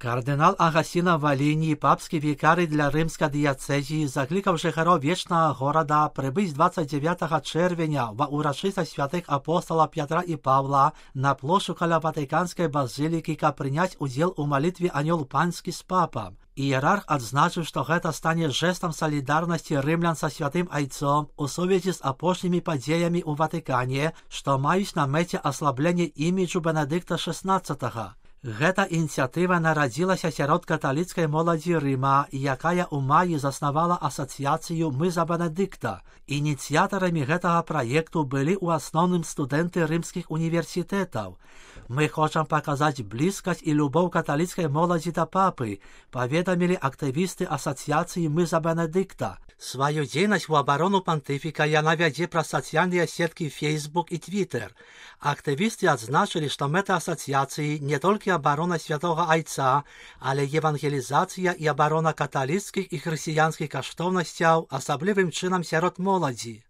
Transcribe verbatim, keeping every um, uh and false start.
Кардинал Агасіна Валіній, папський вікарій для Римської дієцезії, закликав жихарів вічного города прибыть двадцять дев'ятого червня в урочистость святих апостола Петра і Павла на площу каля Ватиканської базиліки ка принять уділ у молитві «Аньол Панський» з папом. Ієрарх адзначив, що гэта стане жестом солідарності римлян со святим Айцом у сувязі з апошніми подіями у Ватикані, що мають на меті ослаблення іміджу Бенедикта шістнадцятого. Гэта ініціатива народилася сярод католицької молоді Рима, якая у маї заснувала асоціацію «Мы за Бенедикта». Ініціаторами гэтага проекту были у основном студенты римских университетов. «Мы хочем показать близкость и любовь католицкой молоді до папы», поведомили активисты асоціації «Мы за Бенедикта». Свою деятельность в оборону понтифика яна вядзе праз социальные сетки Facebook и Twitter. Активисты отзначили, что мета асоціації не только оборона святого Айца, але евангелизация и оборона католицких и христианских коштовностей, особливым чином сярод молоді.